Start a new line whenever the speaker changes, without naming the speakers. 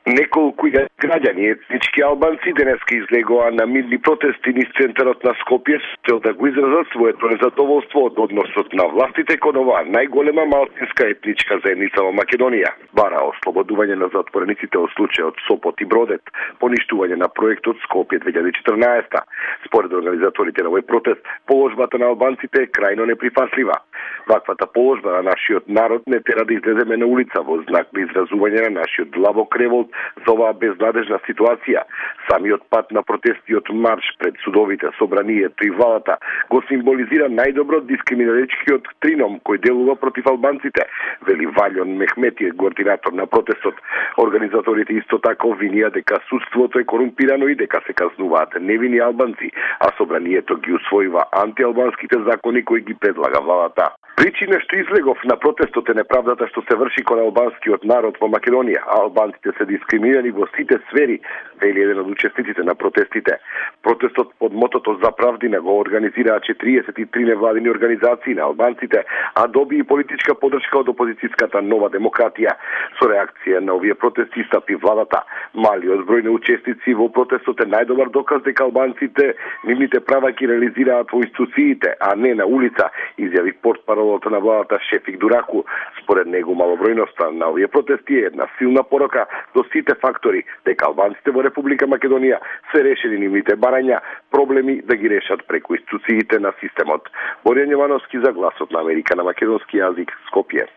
Неколку граѓани етнички албанци денеска излегоа на мирни протести низ центарот на Скопје со да го изразат своето незадоволство од односот на властите кон оваа најголема малцинска етничка заедница во Македонија. Бара ослободување на затворениците од случајот Сопот и Бродет, поништување на проектот Скопје 2014. Според организаторите на овој протест, положбата на албанците е крајно неприфатлива. Ваквата положба на нашиот народ не тера да излеземе на улица во знак на изразување на нашиот длабок револт за оваа безнадежна ситуација. Самиот пат на протестиот марш пред судовите, собранието и владата го символизира најдобро дискриминаричкиот трином кој делува против албанците, вели Валјон Мехметиев, координатор на протестот. Организаторите исто така обвинија дека судството е корумпирано и дека се казнуваат невини албанци, а собранието ги усвоива антиалбанските закони кои ги предлага владата. Причина што излегов на протестот е неправдата што се врши кон албанскиот народ во Македонија. Албанците се дискриминирани во сите сфери, вели еден од учесниците на протестите. Протестот под мотото За правдина го организираа 43 невладини организации на албанците, а доби и политичка подршка од опозицијската Нова демократија. Со реакција на овие протести стапи владата. Малиот број на учесници во протестот е најдобар доказ дека албанците нивните права ги реализираат во институциите, а не на улица, изјави портпаролот на владата Шефик Дураку. Според него малобројноста на овие протести е една силна порока до сите фактори дека албанците во Република Македонија се решени нивните барања, проблеми да ги решат преку институциите на системот. Боријан Јовановски за Гласот на Америка на македонски јазик, Скопје.